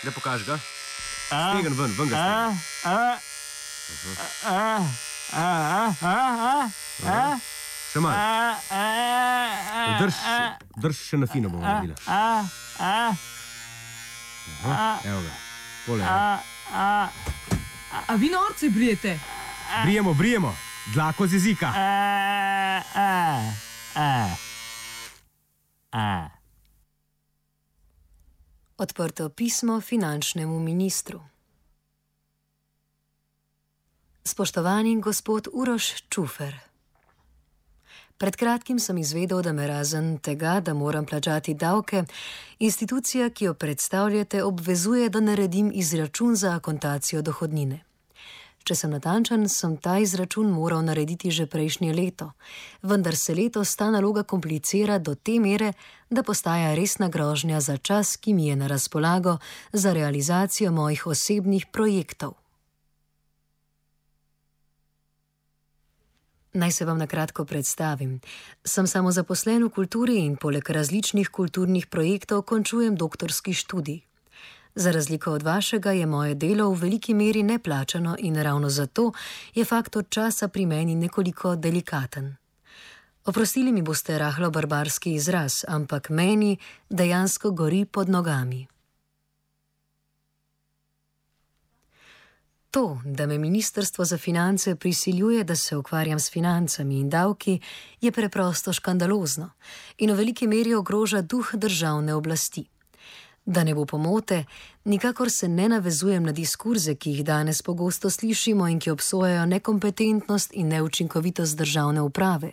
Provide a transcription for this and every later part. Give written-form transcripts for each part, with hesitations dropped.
Ne pokaži ga. Stegen ven ga stegen. Še malo. Drž še na fino bomo naredili. Evo ga. Pole. A vi norce brijete? Brijemo. Dlako z jezika. Odprto pismo finančnemu ministru. Spoštovani gospod Uroš Čufer. Pred kratkim sem izvedel, da me razen tega, da moram plačati davke, institucija, ki jo predstavljate, obvezuje, da naredim izračun za akontacijo dohodnine. Če sem natančen, sem ta izračun moral narediti že prejšnje leto, vendar se letos ta naloga komplicira do te mere, da postaja resna grožnja za čas, ki mi je na razpolago za realizacijo mojih osebnih projektov. Naj se vam na kratko predstavim. Sem samozaposlen v kulturi in poleg različnih kulturnih projektov končujem doktorski študij. Za razliko od vašega je moje delo v veliki meri neplačano in ravno zato je faktor časa pri meni nekoliko delikaten. Oprostili mi boste rahlo barbarski izraz, ampak meni dejansko gori pod nogami. To, da me Ministrstvo za finance prisiljuje, da se ukvarjam s financami in davki, je preprosto škandalozno in v veliki meri ogroža duh državne oblasti. Da ne bo pomote, nikakor se ne navezujem na diskurze, ki jih danes pogosto slišimo in ki obsojajo nekompetentnost in neučinkovitost državne uprave.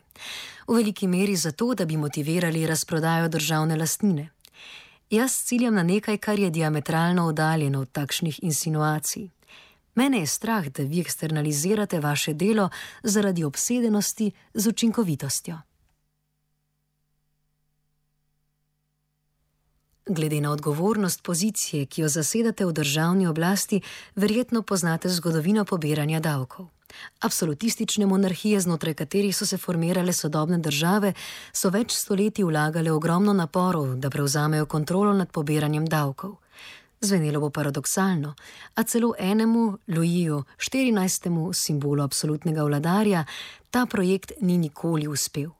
V veliki meri zato, da bi motivirali razprodajo državne lastnine. Jaz ciljam na nekaj, kar je diametralno oddaljeno od takšnih insinuacij. Mene je strah, da vi eksternalizirate vaše delo zaradi obsedenosti z učinkovitostjo. Glede na odgovornost pozicije, ki jo zasedate v državni oblasti, verjetno poznate zgodovino pobiranja davkov. Absolutistične monarhije, znotraj katerih so se formirale sodobne države, so več stoletij vlagale ogromno naporov, da prevzamejo kontrolo nad pobiranjem davkov. Zvenelo bo paradoksalno, a celo enemu, Louisu XIV., simbolu absolutnega vladarja, ta projekt ni nikoli uspel.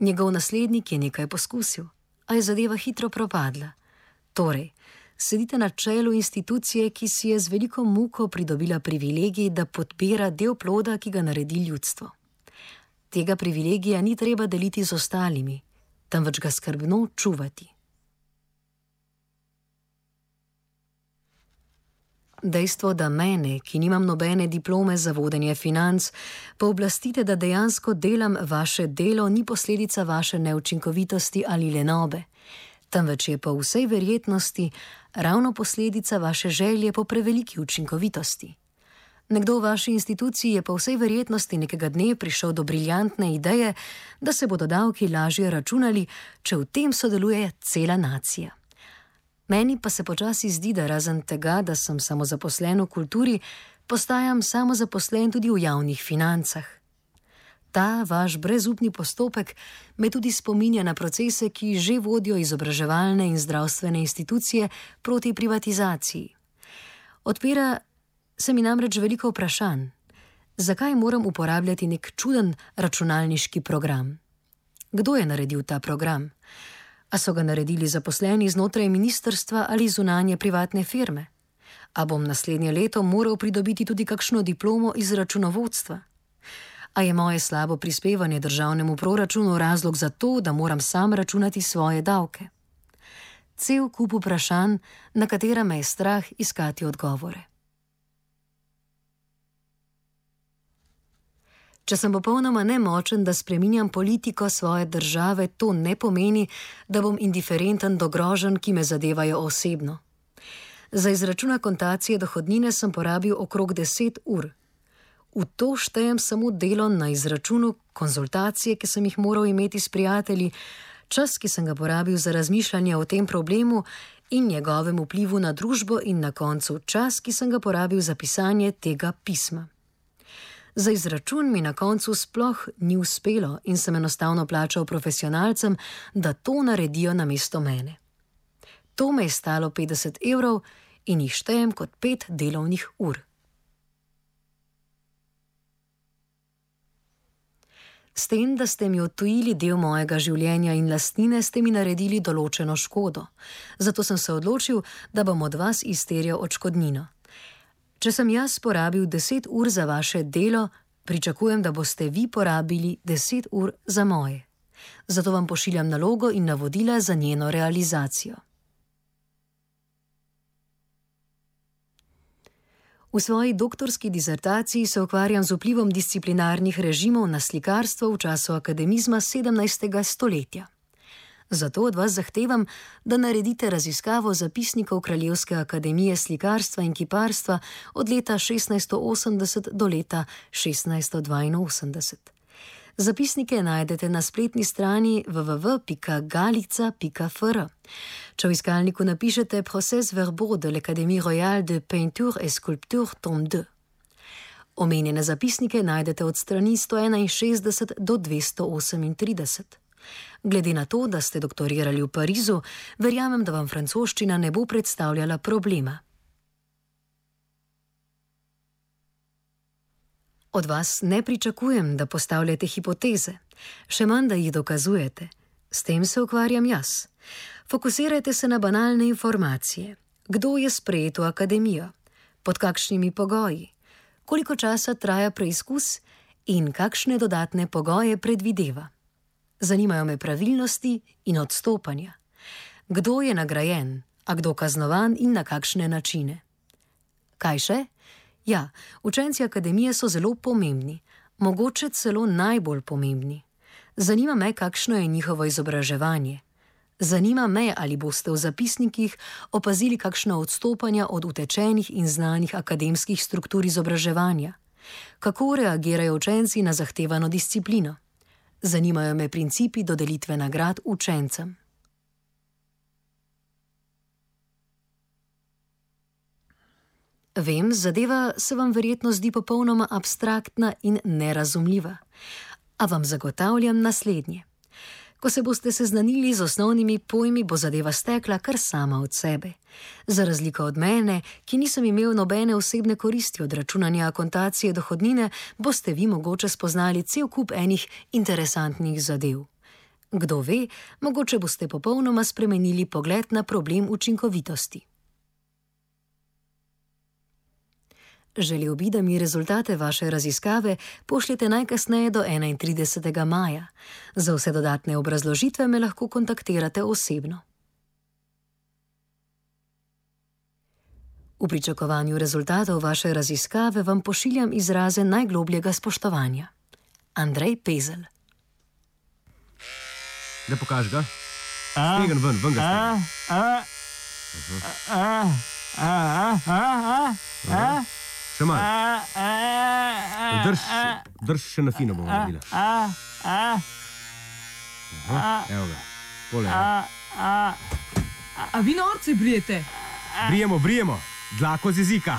Njegov naslednik je nekaj poskusil, a je zadeva hitro propadla. Torej, sedite na čelu institucije, ki si je z veliko muko pridobila privilegij, da podpira del ploda, ki ga naredi ljudstvo. Tega privilegija ni treba deliti z ostalimi, temveč ga skrbno čuvati. Dejstvo, da mene, ki nimam nobene diplome za vodenje financ, pooblastite, da dejansko delam vaše delo, ni posledica vaše neučinkovitosti ali lenobe, temveč je po vsej verjetnosti ravno posledica vaše želje po preveliki učinkovitosti. Nekdo v vaši instituciji je po vsej verjetnosti nekega dne prišel do briljantne ideje, da se bodo davki lažje računali, če v tem sodeluje cela nacija. Meni pa se počasi zdi, da razen tega, da sem samozaposlen v kulturi, postajam samozaposlen tudi v javnih financah. Ta vaš brezupni postopek me tudi spominja na procese, ki že vodijo izobraževalne in zdravstvene institucije proti privatizaciji. Odpira se mi namreč veliko vprašanj. Zakaj moram uporabljati nek čuden računalniški program? Kdo je naredil ta program? A so ga naredili zaposleni znotraj ministrstva ali zunanje privatne firme? A bom naslednje leto moral pridobiti tudi kakšno diplomo iz računovodstva? A je moje slabo prispevanje državnemu proračunu razlog za to, da moram sam računati svoje davke? Cel kup vprašanj, na katera me je strah iskati odgovore. Če sem popolnoma nemočen, da spreminjam politiko svoje države, to ne pomeni, da bom indiferenten do groženj, ki me zadevajo osebno. Za izračun akontacije dohodnine sem porabil okrog 10 ur. V to štejem samo delo na izračunu, konzultacije, ki sem jih moral imeti s prijatelji, čas, ki sem ga porabil za razmišljanje o tem problemu in njegovem vplivu na družbo in na koncu čas, ki sem ga porabil za pisanje tega pisma. Za izračun mi na koncu sploh ni uspelo in sem enostavno plačal profesionalcem, da to naredijo namesto mene. To me je stalo 50 evrov in jih štejem kot 5 delovnih ur. S tem, da ste mi odtujili del mojega življenja in lastnine, ste mi naredili določeno škodo. Zato sem se odločil, da bom od vas izterjal odškodnino. Če sem jaz porabil 10 ur za vaše delo, pričakujem, da boste vi porabili 10 ur za moje. Zato vam pošiljam nalogo in navodila za njeno realizacijo. V svoji doktorski disertaciji se ukvarjam z vplivom disciplinarnih režimov na slikarstvo v času akademizma 17. stoletja. Zato od vas zahtevam, da naredite raziskavo zapisnikov Kraljevske akademije slikarstva in kiparstva od leta 1680 do leta 1682. Zapisnike najdete na spletni strani www.galica.fr. Če v iskalniku napišete Procès verbaux de l'Académie royale de peinture et sculpture tome 2. Omenjene zapisnike najdete od strani 161 do 238. Glede na to, da ste doktorirali v Parizu, verjamem, da vam francoščina ne bo predstavljala problema. Od vas ne pričakujem, da postavljate hipoteze, še manj, da jih dokazujete. S tem se ukvarjam jaz. Fokusirajte se na banalne informacije. Kdo je sprejet v akademijo? Pod kakšnimi pogoji? Koliko časa traja preizkus in kakšne dodatne pogoje predvideva? Zanimajo me pravilnosti in odstopanja. Kdo je nagrajen, a kdo kaznovan in na kakšne načine? Kaj še? Ja, učenci akademije so zelo pomembni, mogoče celo najbolj pomembni. Zanima me, kakšno je njihovo izobraževanje. Zanima me, ali boste v zapisnikih opazili kakšna odstopanja od utečenih in znanih akademskih struktur izobraževanja. Kako reagirajo učenci na zahtevano disciplino? Zanimajo me principi dodelitve nagrad učencem. Vem, zadeva se vam verjetno zdi popolnoma abstraktna in nerazumljiva, a vam zagotavljam naslednje. Ko se boste seznanili z osnovnimi pojmi, bo zadeva stekla kar sama od sebe. Za razliko od mene, ki nisem imel nobene osebne koristi od računanja akontacije dohodnine, boste vi mogoče spoznali cel kup enih interesantnih zadev. Kdo ve, mogoče boste popolnoma spremenili pogled na problem učinkovitosti. Želel bi, da mi rezultate vaše raziskave pošljete najkasneje do 31. maja. Za vse dodatne obrazložitve me lahko kontaktirate osebno. V pričakovanju rezultatov vaše raziskave vam pošiljam izraze najglobljega spoštovanja. Andrej Pezel. Da pokaž ga. Stegan ven ga stegan. Še malo. Drž še na fino bomo naredila. Evo ga. Pole. A vi norci brijete? Brijemo. Dlako z jezika.